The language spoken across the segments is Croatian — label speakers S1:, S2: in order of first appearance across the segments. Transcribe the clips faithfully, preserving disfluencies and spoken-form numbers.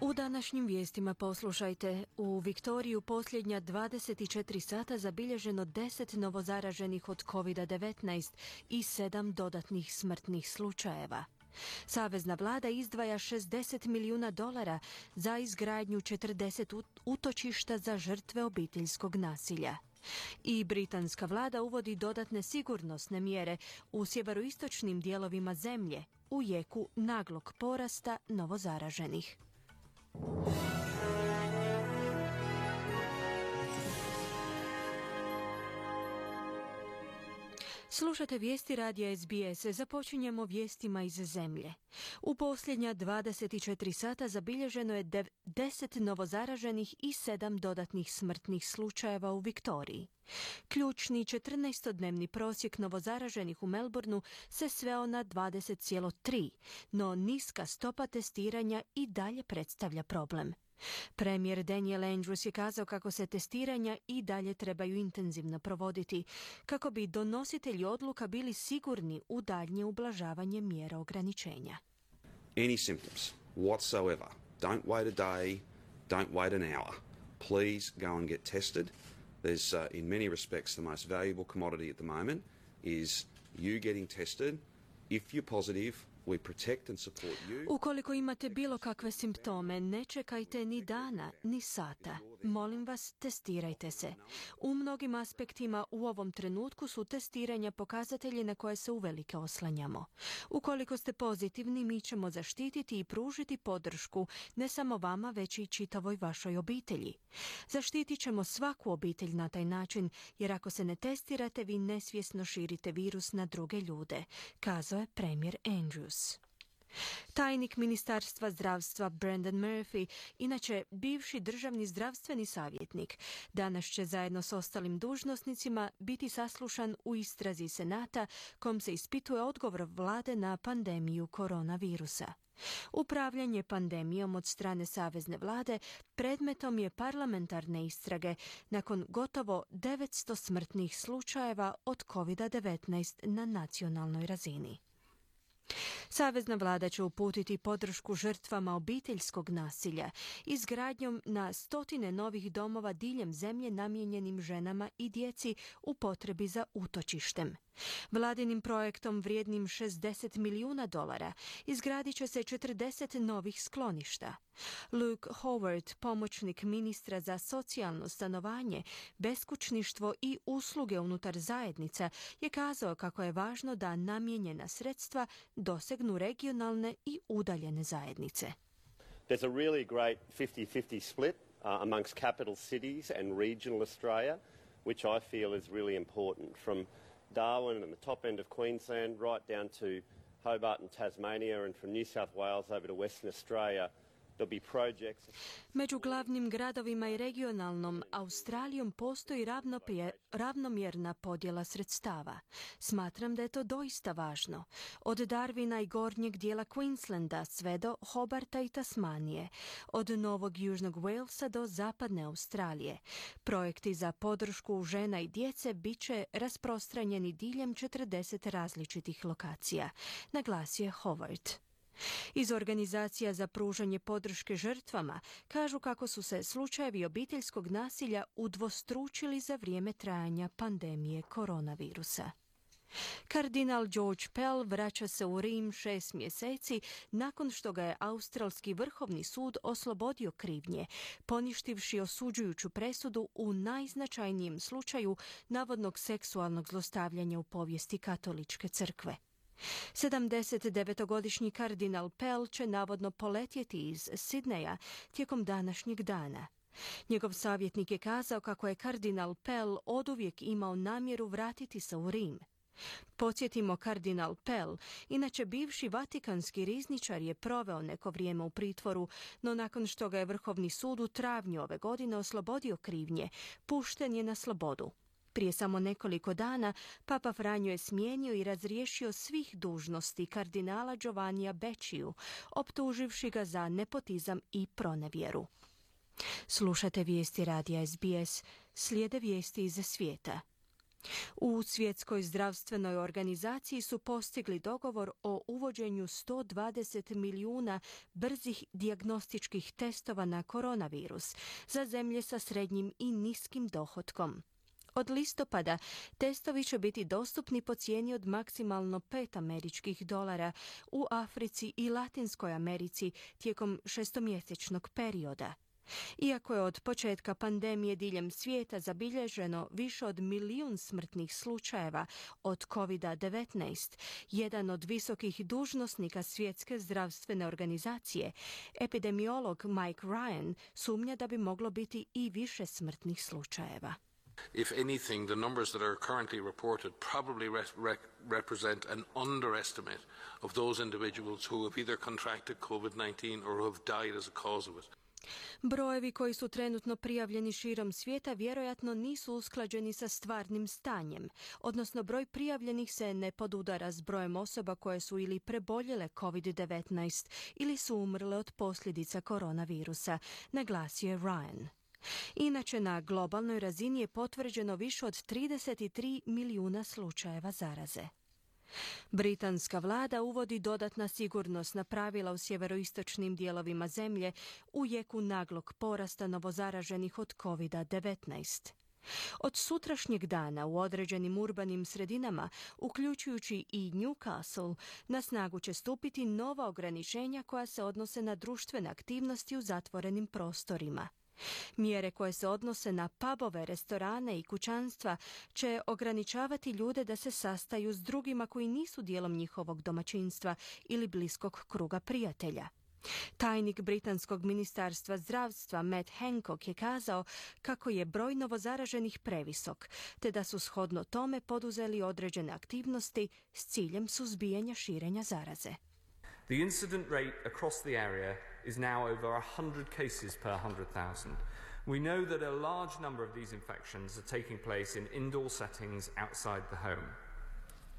S1: U današnjim vijestima poslušajte, u Viktoriju posljednja dvadeset četiri sata zabilježeno deset novozaraženih od kovid devetnaest i sedam dodatnih smrtnih slučajeva. Savezna vlada izdvaja šezdeset milijuna dolara za izgradnju četrdeset utočišta za žrtve obiteljskog nasilja. I britanska vlada uvodi dodatne sigurnosne mjere u sjeveroistočnim dijelovima zemlje u jeku naglog porasta novozaraženih. Slušate vijesti radija S B S. Započinjemo vijestima iz zemlje. U posljednja dvadeset četiri sata zabilježeno je deset novozaraženih i sedam dodatnih smrtnih slučajeva u Viktoriji. Ključni četrnaestodnevni prosjek novozaraženih u Melbourneu se sveo na dvadeset zarez tri, no niska stopa testiranja i dalje predstavlja problem. Premijer Daniel Andrews je kazao kako se testiranja i dalje trebaju intenzivno provoditi, kako bi donositelji odluka bili sigurni u daljnje ublažavanje mjera ograničenja.
S2: Any symptoms whatsoever, don't wait a day, don't wait an hour. Please go and get tested. There's uh, in many respects the most valuable commodity at the moment is you getting tested. If you're positive, we protect and support you.
S1: Ukoliko imate bilo kakve simptome, ne čekajte ni dana, ni sata. Molim vas, testirajte se. U mnogim aspektima u ovom trenutku su testiranja pokazatelji na koje se uvelike oslanjamo. Ukoliko ste pozitivni, mi ćemo zaštititi i pružiti podršku ne samo vama, već i čitavoj vašoj obitelji. Zaštitit ćemo svaku obitelj na taj način, jer ako se ne testirate, vi nesvjesno širite virus na druge ljude, kazao je premijer Andrews. Tajnik Ministarstva zdravstva Brendan Murphy, inače bivši državni zdravstveni savjetnik, danas će zajedno s ostalim dužnosnicima biti saslušan u istrazi Senata kom se ispituje odgovor vlade na pandemiju koronavirusa. Upravljanje pandemijom od strane savezne vlade predmetom je parlamentarne istrage nakon gotovo devetsto smrtnih slučajeva od kovid devetnaest na nacionalnoj razini. Savezna vlada će uputiti podršku žrtvama obiteljskog nasilja izgradnjom na stotine novih domova diljem zemlje namijenjenim ženama i djeci u potrebi za utočištem. Vladinim projektom vrijednim šezdeset milijuna dolara izgradit će se četrdeset novih skloništa. Luke Howard, pomoćnik ministra za socijalno stanovanje, beskućništvo i usluge unutar zajednica, je kazao kako je važno da namijenjena sredstva dosegnu regionalne i udaljene zajednice.
S3: There's a really great fifty fifty split uh, amongst capital cities and regional Australia, which I feel is really important, from Darwin and the top end of Queensland right down to Hobart and Tasmania, and from New South Wales over to Western Australia.
S1: Među glavnim gradovima i regionalnom Australijom postoji ravnomjerna podjela sredstava. Smatram da je to doista važno. Od Darwina i gornjeg dijela Queenslanda sve do Hobarta i Tasmanije, od Novog Južnog Walesa do zapadne Australije. Projekti za podršku žena i djece bit će rasprostranjeni diljem četrdeset različitih lokacija, naglasio je Howard. Iz organizacija za pružanje podrške žrtvama kažu kako su se slučajevi obiteljskog nasilja udvostručili za vrijeme trajanja pandemije koronavirusa. Kardinal George Pell vraća se u Rim šest mjeseci nakon što ga je Australski vrhovni sud oslobodio krivnje, poništivši osuđujuću presudu u najznačajnijem slučaju navodnog seksualnog zlostavljanja u povijesti katoličke crkve. sedamdesetdevetogodišnji kardinal Pell će navodno poletjeti iz Sidneja tijekom današnjeg dana. Njegov savjetnik je kazao kako je kardinal Pell oduvijek imao namjeru vratiti se u Rim. Podsjetimo, kardinal Pell, inače bivši vatikanski rizničar, je proveo neko vrijeme u pritvoru, no nakon što ga je Vrhovni sud u travnju ove godine oslobodio krivnje, pušten je na slobodu. Prije samo nekoliko dana Papa Franjo je smijenio i razriješio svih dužnosti kardinala Giovannija Becciju, optuživši ga za nepotizam i pronevjeru. Slušate vijesti radija S B S, slijede vijesti iz svijeta. U Svjetskoj zdravstvenoj organizaciji su postigli dogovor o uvođenju sto dvadeset milijuna brzih dijagnostičkih testova na koronavirus za zemlje sa srednjim i niskim dohotkom. Od listopada testovi će biti dostupni po cijeni od maksimalno pet američkih dolara u Africi i Latinskoj Americi tijekom šestomjesečnog perioda. Iako je od početka pandemije diljem svijeta zabilježeno više od milijun smrtnih slučajeva od kovid devetnaest, jedan od visokih dužnosnika Svjetske zdravstvene organizacije, epidemiolog Mike Ryan, sumnja da bi moglo biti i više smrtnih slučajeva.
S4: If anything, the numbers that are currently reported probably re- re- represent an underestimate of those individuals who have either contracted covid nineteen or have died as a cause of it.
S1: Brojevi koji su trenutno prijavljeni širom svijeta vjerojatno nisu usklađeni sa stvarnim stanjem, odnosno broj prijavljenih se ne podudara s brojem osoba koje su ili preboljele kovid devetnaest ili su umrle od posljedica koronavirusa, naglasio je Ryan. Inače, na globalnoj razini je potvrđeno više od trideset tri milijuna slučajeva zaraze. Britanska vlada uvodi dodatna sigurnosna pravila u sjeveroistočnim dijelovima zemlje u jeku naglog porasta novozaraženih od kovid devetnaest. Od sutrašnjeg dana u određenim urbanim sredinama, uključujući i Newcastle, na snagu će stupiti nova ograničenja koja se odnose na društvene aktivnosti u zatvorenim prostorima. Mjere koje se odnose na pubove, restorane i kućanstva će ograničavati ljude da se sastaju s drugima koji nisu dijelom njihovog domaćinstva ili bliskog kruga prijatelja. Tajnik Britanskog ministarstva zdravstva Matt Hancock je kazao kako je broj novozaraženih previsok, te da su shodno tome poduzeli određene aktivnosti s ciljem suzbijanja širenja zaraze.
S5: The incident rate across the area is now over one hundred cases per one hundred thousand. We know that a large number of these infections are taking place in indoor settings outside the home.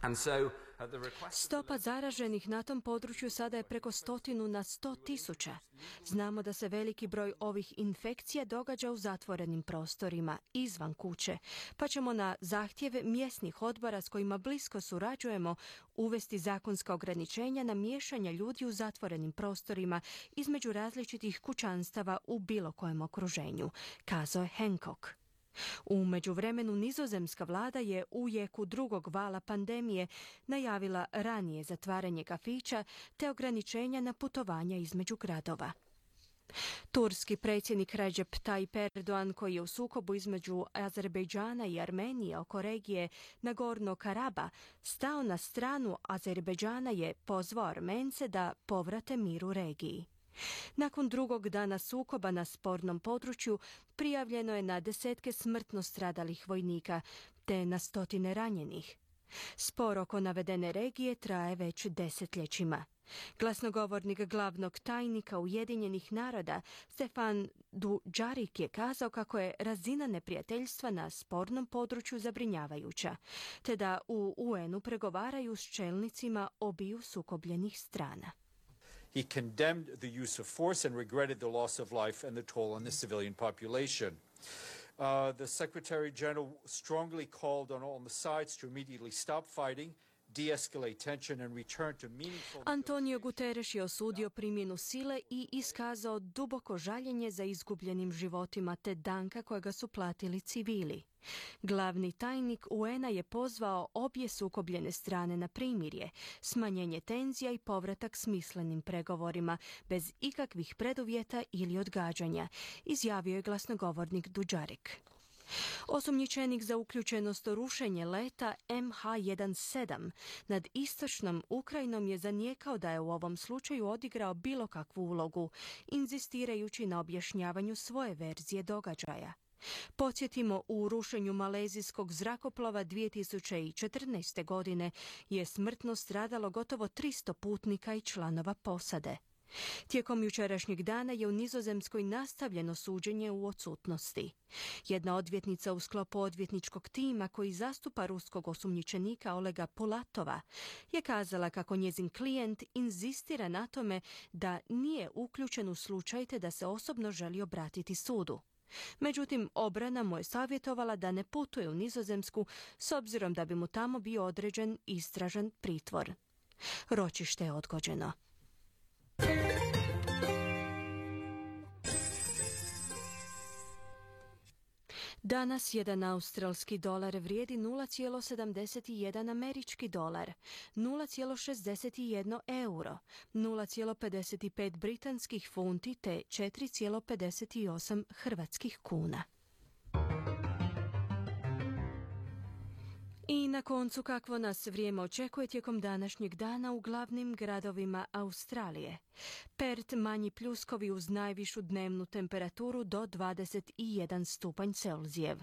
S5: And so, at the request...
S1: Stopa zaraženih na tom području sada je preko stotinu na sto tisuća. Znamo da se veliki broj ovih infekcija događa u zatvorenim prostorima, izvan kuće, pa ćemo na zahtjeve mjesnih odbora s kojima blisko surađujemo uvesti zakonska ograničenja na miješanje ljudi u zatvorenim prostorima između različitih kućanstava u bilo kojem okruženju, kazao je Hancock. U međuvremenu nizozemska vlada je u jeku drugog vala pandemije najavila ranije zatvaranje kafića te ograničenja na putovanja između gradova. Turski predsjednik Recep Tayyip Erdogan, koji je u sukobu između Azerbejdžana i Armenije oko regije Nagorno-Karaba stao na stranu Azerbejdžana, je pozvao Armence da povrate mir u regiji. Nakon drugog dana sukoba na spornom području prijavljeno je na desetke smrtno stradalih vojnika te na stotine ranjenih. Spor oko navedene regije traje već desetljećima. Glasnogovornik glavnog tajnika Ujedinjenih naroda Stefan Dujarric je kazao kako je razina neprijateljstva na spornom području zabrinjavajuća, te da u U N-u pregovaraju s čelnicima obiju sukobljenih strana.
S6: He condemned the use of force and regretted the loss of life and the toll on the civilian population. Uh, the Secretary General strongly called on all the sides to immediately stop fighting, de-escalate tension and return to meaningful...
S1: Antonio Guterres je osudio primjenu sile i iskazao duboko žaljenje za izgubljenim životima te danka kojega su platili civili. Glavni tajnik U N-a je pozvao obje sukobljene strane na primirje, smanjenje tenzija i povratak smislenim pregovorima, bez ikakvih preduvjeta ili odgađanja, izjavio je glasnogovornik Dujarric. Osumnjičenik za uključenost u rušenje leta M H sedamnaest nad istočnom Ukrajinom je zanijekao da je u ovom slučaju odigrao bilo kakvu ulogu, inzistirajući na objašnjavanju svoje verzije događaja. Podsjetimo, u rušenju malezijskog zrakoplova dvije tisuće četrnaeste. godine je smrtno stradalo gotovo tristo putnika i članova posade. Tijekom jučerašnjeg dana je u Nizozemskoj nastavljeno suđenje u odsutnosti. Jedna odvjetnica u sklopu odvjetničkog tima koji zastupa ruskog osumnjičenika Olega Pulatova je kazala kako njezin klijent inzistira na tome da nije uključen u slučaj te da se osobno želi obratiti sudu. Međutim, obrana mu je savjetovala da ne putuje u Nizozemsku s obzirom da bi mu tamo bio određen istražan pritvor. Ročište je odgođeno. Danas jedan australski dolar vrijedi nula zarez sedamdeset jedan američki dolar, nula zarez šezdeset jedan euro, nula zarez pedeset pet britanskih funti te četiri zarez pedeset osam hrvatskih kuna. I na koncu kakvo nas vrijeme očekuje tijekom današnjeg dana u glavnim gradovima Australije. Perth manji pljuskovi uz najvišu dnevnu temperaturu do dvadeset jedan stupanj Celzijev.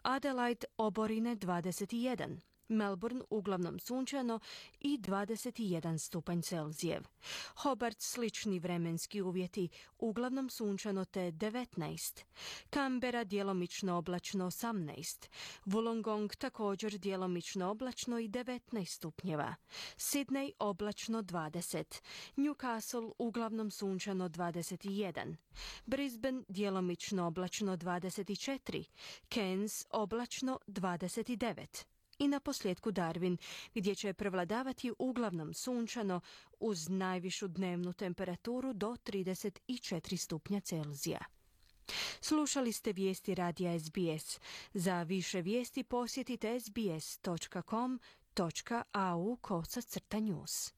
S1: Adelaide oborine dvadeset jedan. Melbourne uglavnom sunčano i dvadeset jedan stupanj Celzijev. Hobart slični vremenski uvjeti, uglavnom sunčano te devetnaest. Canberra djelomično oblačno osamnaest. Wollongong također djelomično oblačno i devetnaest stupnjeva. Sydney oblačno dvadeset. Newcastle uglavnom sunčano dvadeset jedan. Brisbane djelomično oblačno dvadeset četiri. Cairns oblačno dvadeset devet. I na posljedku Darwin, gdje će prevladavati uglavnom sunčano uz najvišu dnevnu temperaturu do trideset četiri stupnja Celzija. Slušali ste vijesti radija S B S. Za više vijesti posjetite sbs točka com točka au kosacrta news.